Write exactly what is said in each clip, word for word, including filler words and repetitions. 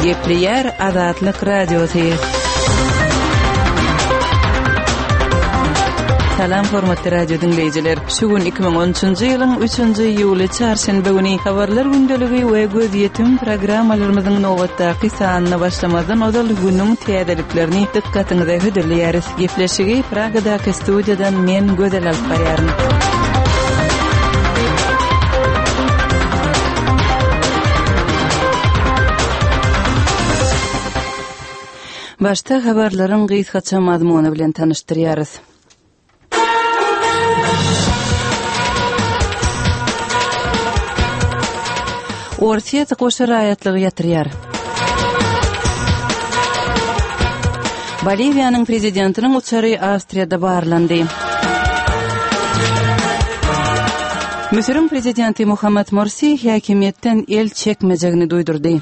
Gepleýär Azatlyk Radiosy. Salam hormatly radio diňleýjiler. Şu gün iki müň on üçünji ýylyň üçünji iýuly çarşenbe güni Habarlar gündeligi we Gözýetim programmalarymyzyň nobatdaky sanyna başlamazdan ozal günüň täzeliklerini dykgatyňyza hödürleýäris. Gepleşigi Pragadaky studiýadan men Gözel alyp barýaryn. Başda habarlaryň gysgaça mazmuny bilen tanyşdyrýarys. Orsýet goşa raýatlygy ýatyrýar. Boliwiýanyň prezidentiniň uçary Awstriýada barlandy. Müsüriň prezidenti Muhammad Morsi häkimiýetden el çekmejegini duýdurdy.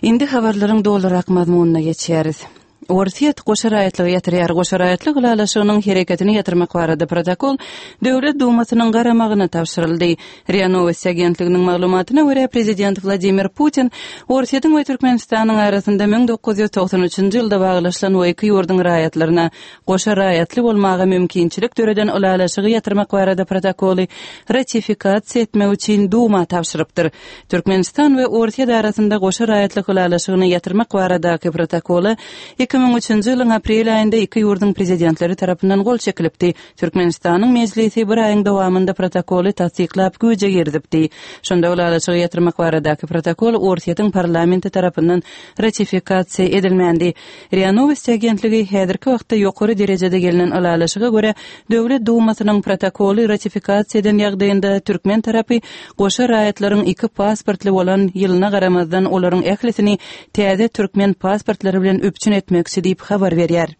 Indi habarlaryň dolurak mazmunyna geçýäris. Orsýet goşa raýatlygy ýatyrýar. Goşa raýatlyk ylalaşygynyň hereketini ýatyrmak barada protokol Döwlet Dumasynyň garamagyna tabşyryldy. RIA Nowosti agentliginiň maglumatyna görä, prezident Wladimir Putin Orsýetiň we Türkmenistanyň arasynda müň dokuz ýüz togsan üçünji ýylda baglaşylan we iki ýurduň raýatlaryna goşa raýatly bolmaga mümkinçilik döreden ylalaşygy ýatyrmak barada protokoly ratifikasiýa etmek üçin Duma tabşyrypdyr. Türkmenistan we Orsýet arasynda goşa raýatlyk ylalaşygyny ýatyrmak baradaky protokola iki müň üçünji ýylyň aprel aýynda iki ýurduň prezidentleri tarapyndan gol çekilipdi. Türkmenistanyň mejlisi bir aýyň dowamynda protokoly tassyklap güýje girizipdi. Şonda ylalaşygy ýatyrmak baradaky protokol Orsýetiň parlamenti tarapyndan ratifikasiýa edilmändi. RIA Nowosti agentligi häzirki wagtda ýokary derejede gelnen ylalaşyga görä Döwlet Dumasynyň protokoly ratifikasiýa eden ýagdaýynda türkmen tarapy goşa raýatlaryň iki pasportly bolan ýylyna garamazdan olaryň ählisini täze türkmen pasportlary bilen üpjün etmekçi diýip habar berýär.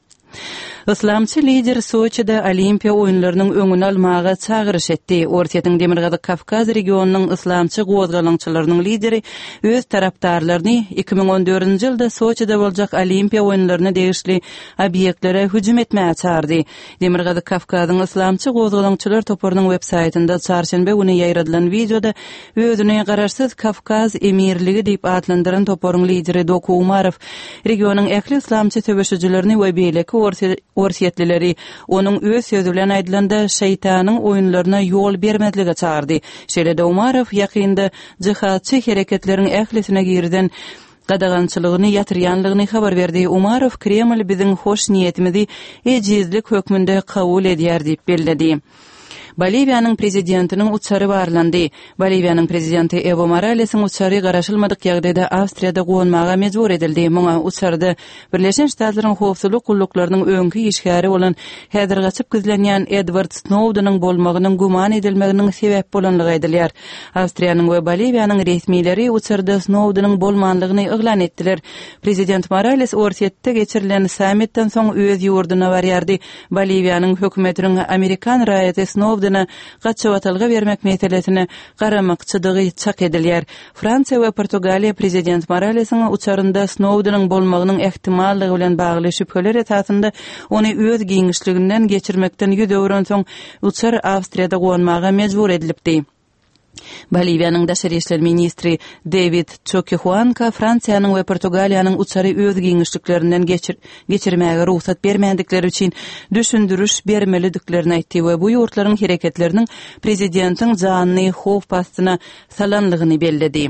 Yslamçy lider Soçide Olimpiýa oýunlarynyň öňüni almaga çagyryş etdi. Orsýetiň Demirgazyk Kawkaz regionynyň yslamçy gozgalaňçylarynyň lideri öz tarapdarlaryny iki müň on dördünji ýylda Soçide boljak Olimpiýa oýunlaryna degişli obýektlere hüjüm etmäge çagyrdy. Demirgazyk Kawkazyň yslamçy gozgalaňçylar toparynyň web-saýtynda çarşenbe güni ýaýradylan wideoda özüni garaşsyz Kawkaz emirligi diýip atlandyran toparyň lideri Doku Umarow regionyň ähli yslamçy söweşijilerini we beýleki orsýetlileri onuň öz sözi bilen aýdylanda şeýtanyň oýunlaryna ýol bermezlige çagyrdy. Şeýle-de Umarow ýakynda jihatçy hereketleriň ählisine girden gadagançylygyny ýatyrýanlygyny habar berdi. Umarow Kreml biziň hoş niýetimizi ejizlik hökmünde kabul edýär diýip belledi. Boliwiýanyň prezidentiniň uçary barlandy. Boliwiýanyň prezidenti Ewo Moralesiň uçary garaşylmadyk ýagdaýda Awstriýada gonmaga mejbur edildi. Muňa uçarda Birleşen Ştatlaryň howpsuzlyk gulluklarynyň öňki işgäri bolan häzir gaçyp gizlenýän Edward Snowdeniň bolmagynyň güman edilmeginiň sebäp bolanlygy aýdylýar. Awstriýanyň we Boliwiýanyň resmileri uçarda Snowdeniň bolmanlygyny yglan etdiler. Prezident Morales Orsýetde geçirilen sammitden soň öz ýurduna barýardy. Boliwiýanyň hökümetiniň Amerikan raýaty Snowdene gaçybatalga bermek meselesine garamakçydygy çak edilýär. Fransiýa we Portugaliýa prezident Moralesiň uçarynda Snowdeniň bolmagynyň ähtimallygy bilen bagly şübheler esasynda ony öz giňişliginden geçirmekden ýüz öwrensoň uçar Awstriýada gonmaga mejbur edilipdi. Boliwiýanyň daşary işler ministri David Choquehuanca Fransiýanyň we Portugaliýanyň uçary öz giňişliklerinden geçir-, geçirmäge rugsat bermändikleri üçin düşündiriş bermelidiklerini aýtdy we bu ýurtlaryň hereketleriniň prezidentiň janyny howp astyna salanlygyny belledi.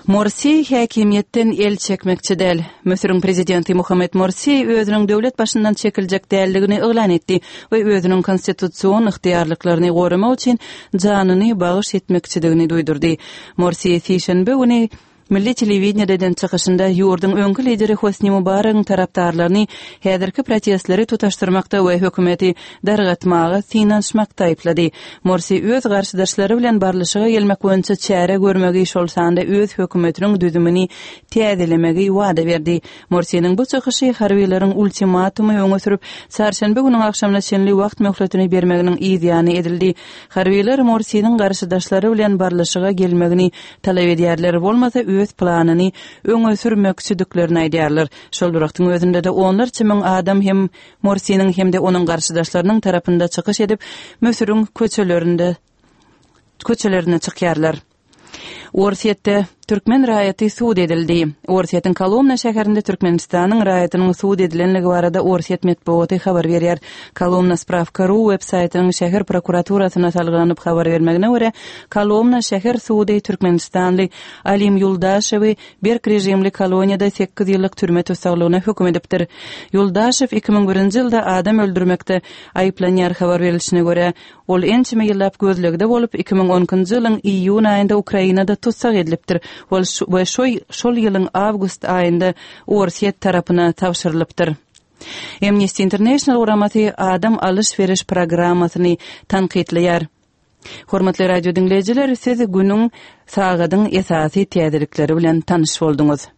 Morsi häkimiýetden el çekmekçi däl. Müsüriň prezidenti Muhammed Morsi özüniň döwlet başyndan çekiljek dälligini yglan etdi we özüniň konstitusion ygtyýarlyklaryny goramak üçin janyny bagyş etmekçidigini duýdurdy. Morsi sişenbe güni Milli telewideniýede eden çykyşynda ýurduň öňki lideri Hosni Mubaregiň tarapdarlaryny häzirki protestleri tutaşdyrmakda we hökümeti dargatmaga synanyşmakda aýyplady. Morsi öz garşydaşlary bilen barlyşyga gelmek boýunça çäre görmegi, şol sanda öz hökümetiniň düzümini täzelemegi wada berdi. Morsiniň bu çykyşy harbiýlaryň ultimatumy öňe sürüp, çarşenbe günüň agşamyna çenli wagt möhletini bermeginiň yzýany edildi. Harbiýlar Morsiniň garşydaşlary bilen barlyşyga gelmegini talap edýärler, bolmasa öz planyny öňe sürmekçidiklerini aýdýarlar. Şol bir wagtyň özünde-de onlarça müň adam hem Morsiniň hem-de onuň garşydaşlarynyň tarapynda çykyş edip, Müsüriň köçelerinde köçelerine çykýarlar. Orsýetde türkmen raýaty sud edildi. Orsýetiň Kolomna şäherinde Türkmenistanyň raýatynyň sud edilenligi barada Orsýet metbugaty habar berýär. Kolomna Spravka ru web saýtynyň şäher prokuraturasyna salgylanyp habar bermegine görä, Kolomna şäher sudy türkmenistanly Alim Ýuldaşewi berk režimli koloniýada sekiz ýyllyk türme tussaglygyna höküm edipdir. Ýuldaşew iki müň birinji ýylda adam öldürmekde aýyplanýar. Habar berilişine görä, ol ençeme ýyllap gözlegde bolup, iki müň on ikinji ýylyň iýun aýynda Ukrainada tussag edilipdir we şol ýylyň awgust aýynda Orsýet tarapyna tabşyrylypdyr. Amnesty International guramasy adam alyş-beriş programmasyny tankytlaýar. Hormatly radio diňleýjiler, siz günüň, sagadyň esasy täzelikleri bilen tanyş bolduňyz.